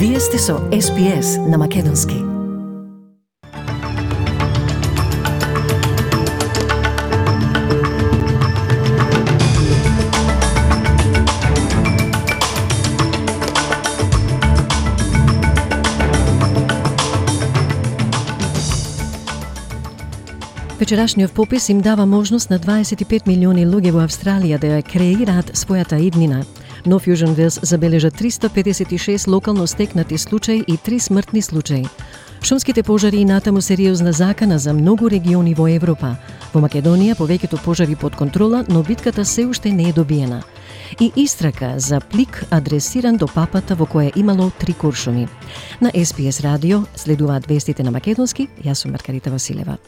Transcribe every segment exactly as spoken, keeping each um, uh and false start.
Вие сте со Ес Би Ес на Македонски. Вечерашниот попис им дава можност на дваесет и пет милиони луѓе во Австралија да ја креираат својата иднина. No Fusion Wales забележа триста педесет и шест локално стекнати случаи и три смртни случаи. Шумските пожари и натаму сериозна закана за многу региони во Европа. Во Македонија повеќето пожари под контрола, но битката се уште не е добиена. И истрака за плик адресиран до папата во која имало три куршуми. На Ес Би Ес радио следуваат вестите на Македонски. Јас сум Маргарита Василева.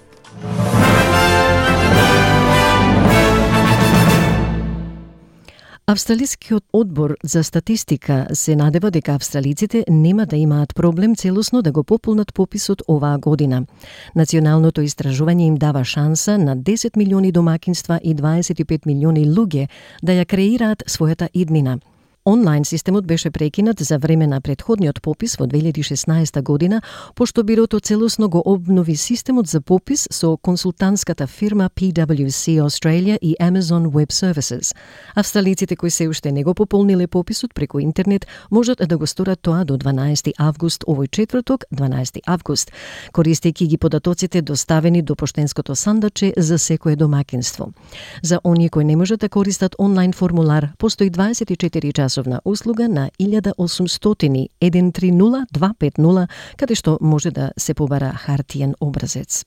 Австралискиот одбор за статистика се надева дека австралиците нема да имаат проблем целосно да го пополнат пописот оваа година. Националното истражување им дава шанса на десет милиони домакинства и дваесет и пет милиони луѓе да ја креираат својата иднина. Онлайн системот беше прекинат за време на претходниот попис во две илјади и шеснаесета година, пошто бирото целосно го обнови системот за попис со консултантската фирма Пи Дабљу Ю Си Australia и Amazon Web Services. Австралиците кои се уште не го пополниле пописот преку интернет можат да го сторат тоа до дванаесети август овој четврток, дванаесети август, користејќи ги податоците доставени до поштенското сандаче за секое домакинство. За оние кои не можат да користат онлайн формулар, постои дваесет и четири часовна услуга на илјада и осумстотини еден три нула два пет нула, каде што може да се побара хартиен образец.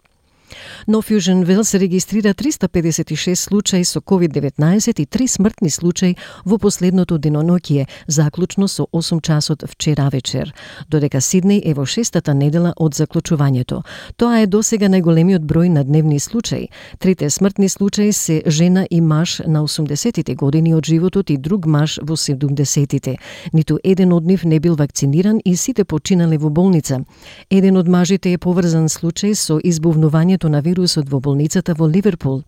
No Fusion Wales регистрира триста педесет и шест случаи со ковид деветнаесет и три смртни случаи во последното деноноќие, заклучно со осум часот вчера вечер, додека Сиднеј е во шестата недела од заклучувањето. Тоа е досега најголемиот број на дневни случаи. Трите смртни случаи се жена и маж на осумдесетите години од животот и друг маж во седумдесетите. Ниту еден од нив не бил вакциниран и сите починале во болница. Еден од мажите е поврзан случај со избувнување на вирусот во болницата во Ливерпул.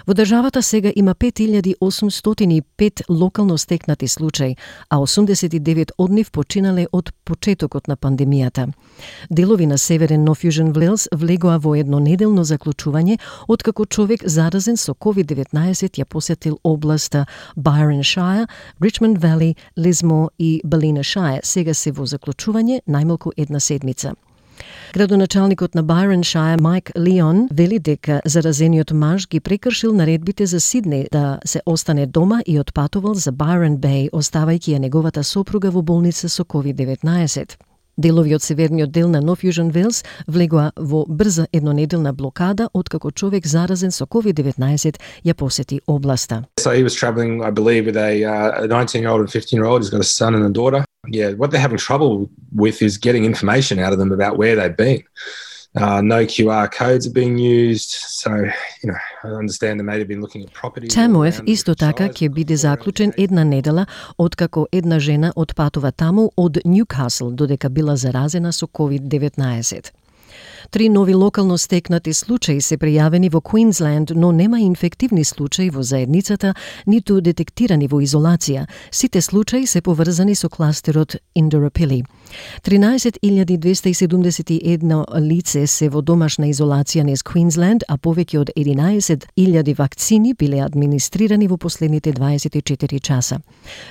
Во државата сега има пет илјади осумстотини и пет локално стекнати случаи, а осумдесет и девет од нив починале од почетокот на пандемијата. Делови на северен No Fusion Wales влегоа во еднонеделно заклучување откако човек заразен со ковид деветнаесет ја посетил областа Byron Shire, Richmond Valley, Lismore и Ballina Shire. Сега се во заклучување најмалку една седмица. Градоначалникот на Byron Shire, Майк Лион, вели дека заразениот маж ги прекршил наредбите за Сиднеј да се остане дома и отпатувал за Byron Bay, оставајќи ја неговата сопруга во болница со ковид деветнаесет. Делови од северниот дел на No Fusion Wales влегоа во брза еднонеделна блокада откако човек заразен со ковид деветнаесет ја посети областа. So he was travelling, I believe, with a uh, nineteen-year-old and fifteen-year-old. He's got a son and a daughter. Yeah, what they're having trouble with is getting information out of them about where they've been. Uh, no Q R codes are being used, so, you know, I understand they may have been looking at properties. Тамуев исто така ќе биде заклучен една недела откако една жена отпатува таму од Ньюкасл додека била заразена со ковид деветнаесет. Три нови локално стекнати случаи се пријавени во Квинсленд, но нема инфективни случаи во заедницата, ниту детектирани во изолација. Сите случаи се поврзани со кластерот Индорапили. тринаесет илјади двесте и седумдесет и едно лице се во домашна изолација низ Квинсленд, а повеќе од единаесет илјади вакцини биле администрирани во последните дваесет и четири часа.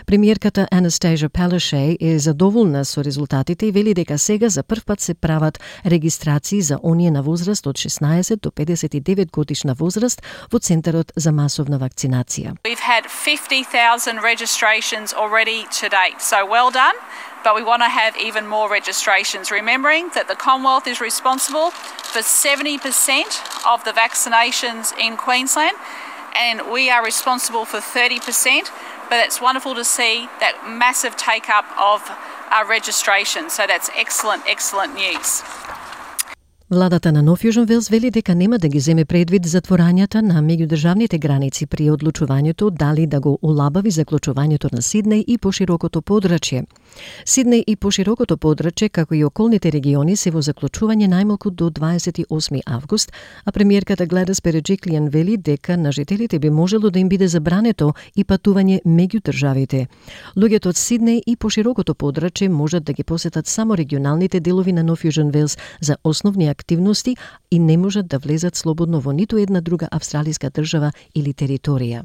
Премиерката Анастасија Палашеј е задоволна со резултатите и вели дека сега за прв пат се прават регистрации за оние на возраст од шеснаесет до педесет и девет годишна возраст во Центарот за масовна вакцинација. We've had fifty thousand registrations already to date, so well done, but we want to have even more registrations, remembering that the Commonwealth is responsible for seventy percent of the vaccinations in Queensland, and we are responsible for thirty percent, but it's wonderful to see that massive take-up of our registration, so that's excellent, excellent news. Владата на Нов Јужен Велс вели дека нема да ги земе предвид затворањата на меѓудржавните граници при одлучувањето дали да го олабави заклучувањето на Сиднеј и поширокото подрачје. Сиднеј и поширокото подрачје, како и околните региони, се во заклучување најмалку до дваесет и осми август, а премиерката Гледис Береџиклијан вели дека на жителите би можело да им биде забрането и патување меѓу државите. Луѓето од Сиднеј и поширокото подрачје можат да ги посетат само регионалните делови на Нов Јужен Велс за основни активности и не можат да влезат слободно во ниту една друга австралиска држава или територија.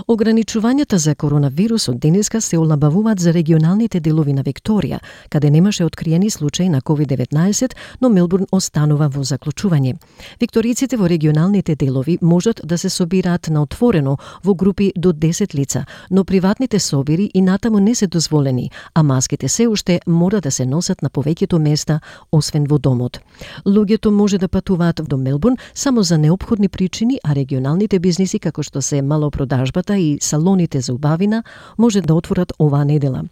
Ограничувањата за коронавирус од денеска се олабавуваат за регионалните делови на Викторија, каде немаше откриени случаи на ковид деветнаесет, но Мелбурн останува во заклучување. Викториците во регионалните делови можат да се собираат на отворено во групи до десет лица, но приватните собири и натаму не се дозволени, а маските се уште мора да се носат на повеќето места, освен во домот. Луѓето може да патуваат до Мелбурн само за неопходни причини, а регионалните бизниси како што се малопродажбата и салоните за убавина може да отворат оваа недела.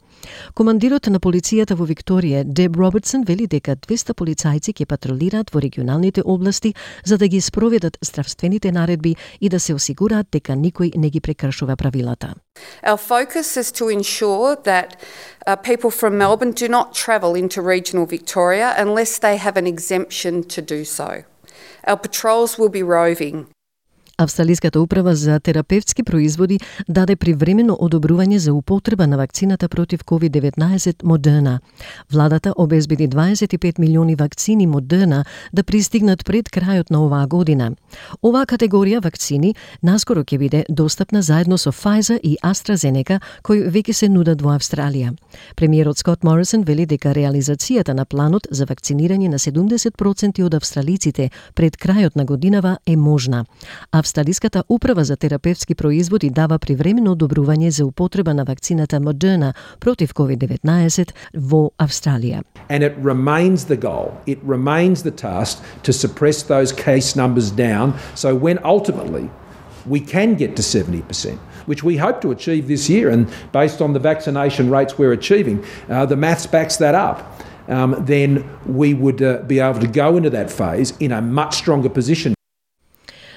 Командирот на полицијата во Викторија, Деб Робертсон, вели дека двеста полицајци ќе патролираат во регионалните области за да ги спроведат здравствените наредби и да се осигураат дека никој не ги прекршува правилата. Our focus is to ensure that uh, people from Melbourne do not travel into regional Victoria unless they have an exemption to do so. Our patrols will be roving. Австралиската управа за терапевтски производи даде привремено одобрување за употреба на вакцината против ковид деветнаесет Модерна. Владата обезбеди дваесет и пет милиони вакцини Модерна да пристигнат пред крајот на оваа година. Оваа категорија вакцини наскоро ќе биде достапна заедно со Pfizer и AstraZeneca, кои веќе се нудат во Австралија. Премиерот Скот Морисон вели дека реализацијата на планот за вакцинирање на седумдесет проценти од австралиците пред крајот на годинава е можна. Австралиската управа за терапевтски производи дава привремено одобрување за употреба на вакцината Модерна против ковид деветнаесет во Австралија. And it remains the goal, it remains the task to suppress those case numbers down so when ultimately we can get to seventy percent, which we hope to achieve this year, and based on the vaccination rates we're achieving, uh, the maths backs that up. Um, then we would uh, be able to go into that phase in a much stronger position.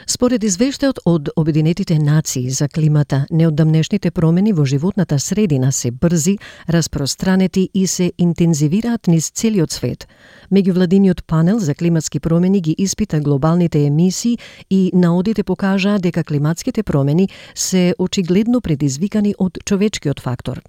Според извештајот од Обединетите нации за климата, неодамнешните промени во животната средина се брзи, распространети и се интензивираат низ целиот свет. Меѓувладиниот панел за климатски промени ги испита глобалните емисии и наодите покажаа дека климатските промени се очигледно предизвикани од човечкиот фактор.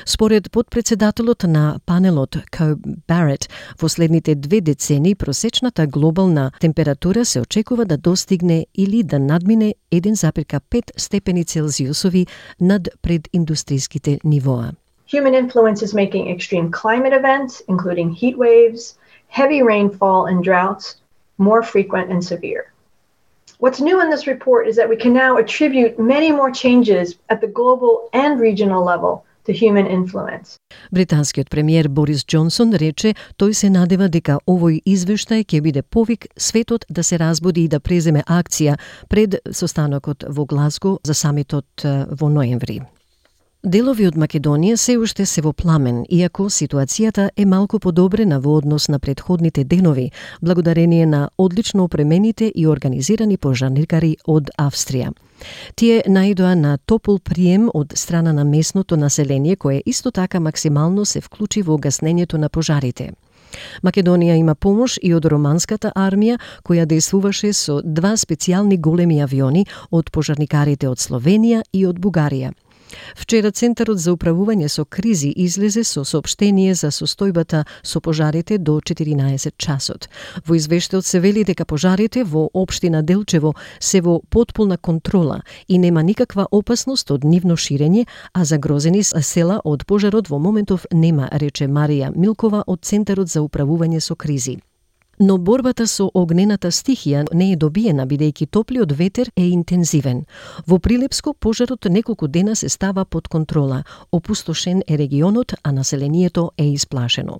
Според подпредседателот на панелот Ко Барет, во следните две децени просечната глобална температура се очекува да достигне или да надмине еден зарез пет степени Целзиусови над прединдустријските нивоа. Human influence is making extreme climate events, including heat waves, heavy rainfall and droughts, more frequent and severe. What's new in this report is that we can now attribute many more changes at the global and regional level to human influence. Британскиот премиер Борис Џонсон рече тој се надева дека овој извештај ќе биде повик светот да се разбуди и да преземе акција пред состанокот во Глазго за самитот во ноември. Делови од Македонија се уште се во пламен, иако ситуацијата е малку подобрена во однос на претходните денови, благодарение на одлично опремените и организирани пожарникари од Австрија. Тие наидоа на топол прием од страна на местното население, кое исто така максимално се вклучи во гаснењето на пожарите. Македонија има помош и од романската армија, која действуваше со два специјални големи авиони од пожарникарите од Словенија и од Бугарија. Вчера Центарот за управување со кризи излезе со соопштение за состојбата со пожарите до четиринаесет часот. Во извештајот се вели дека пожарите во општина Делчево се во потполна контрола и нема никаква опасност од нивно ширење, а загрозени села од пожарот во моментов нема, рече Марија Милкова од Центарот за управување со кризи. Но борбата со огнената стихија не е добиена, бидејќи топлиот ветер е интензивен. Во Прилепско пожарот неколку дена се става под контрола. Опустошен е регионот, а населението е исплашено.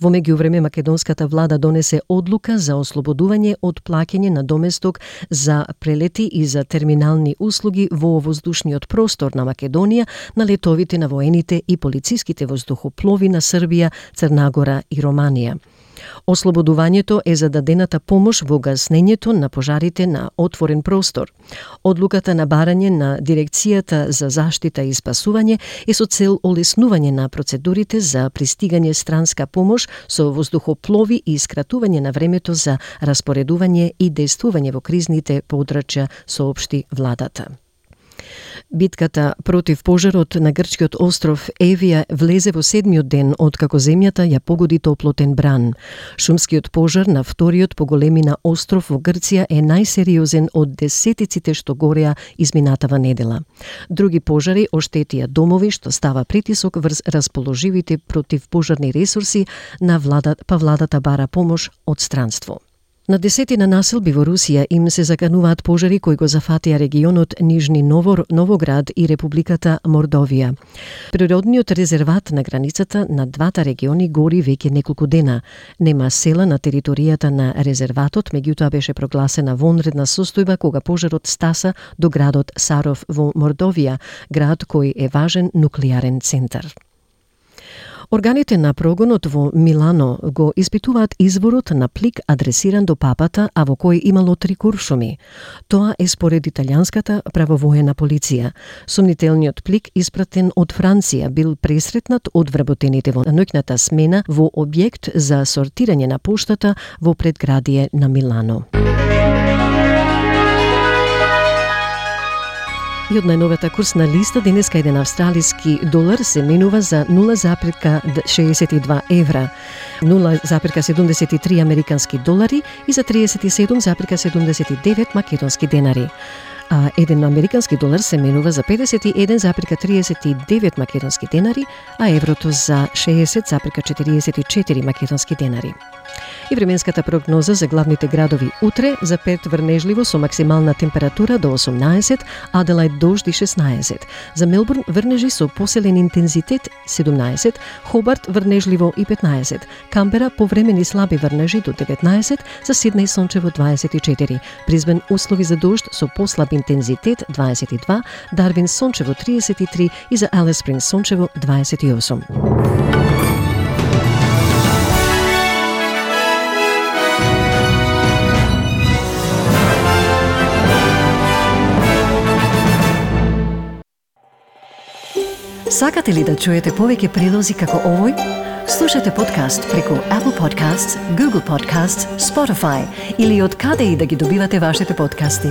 Во меѓувреме македонската влада донесе одлука за ослободување од плаќање на доместок за прелети и за терминални услуги во воздушниот простор на Македонија на летовите на воените и полициските воздухоплови на Србија, Црна Гора и Романија. Ослободувањето е за дадената помош во гаснењето на пожарите на отворен простор. Одлуката на барање на Дирекцијата за заштита и спасување е со цел олеснување на процедурите за пристигање странска помош со воздухоплови и скратување на времето за распоредување и действување во кризните подрачја, соопшти владата. Битката против пожарот на грчкиот остров Евија влезе во седмиот ден од како земјата ја погоди топлотен бран. Шумскиот пожар на вториот по големина остров во Грција е најсериозен од десетиците што гореа изминатава недела. Други пожари оштетија домови, што става притисок врз расположивите противпожарни ресурси на владата, па владата бара помош од странство. На десетина населби во Русија им се закануваат пожари кои го зафатија регионот Нижни Новор, Новоград и Републиката Мордовија. Природниот резерват на границата на двата региони гори веќе неколку дена. Нема села на територијата на резерватот, меѓутоа беше прогласена вонредна состојба кога пожарот стаса до градот Саров во Мордовија, град кој е важен нуклеарен центар. Органите на прогонот во Милано го испитуваат изворот на плик адресиран до папата, а во кој имало три куршуми. Тоа е според италијанската правовоена полиција. Сомнителниот плик, испратен од Франција, бил пресретнат од вработените во ноќната смена во објект за сортирање на поштата во предградие на Милано. И од најновата курсна листа денеска еден австралиски долар се менува за нула запирка шеесет и два евра, нула запирка седумдесет и три американски долари и за триесет и седум запирка седумдесет и девет македонски денари. А еден американски долар се менува за педесет и еден запирка триесет и девет македонски денари, а еврото за шеесет запирка четириесет и четири македонски денари. И временската прогноза за главните градови утре: за Перт врнежливо со максимална температура до осумнаесет, Аделајд дожди шеснаесет, за Мелбурн врнежи со поселен интензитет седумнаесет, Хобарт врнежливо и петнаесет, Камбера повремени слаби врнежи до деветнаесет, за Сиднеј сончево дваесет и четири, Брисбен услови за дожд со послаб интензитет дваесет и два, Дарвин сончево триесет и три и за Алис Спрингс сончево дваесет и осум. Сакате ли да чуете повеќе прилози како овој? Слушате подкаст преку Apple Podcasts, Google Podcasts, Spotify или од каде и да ги добивате вашите подкасти.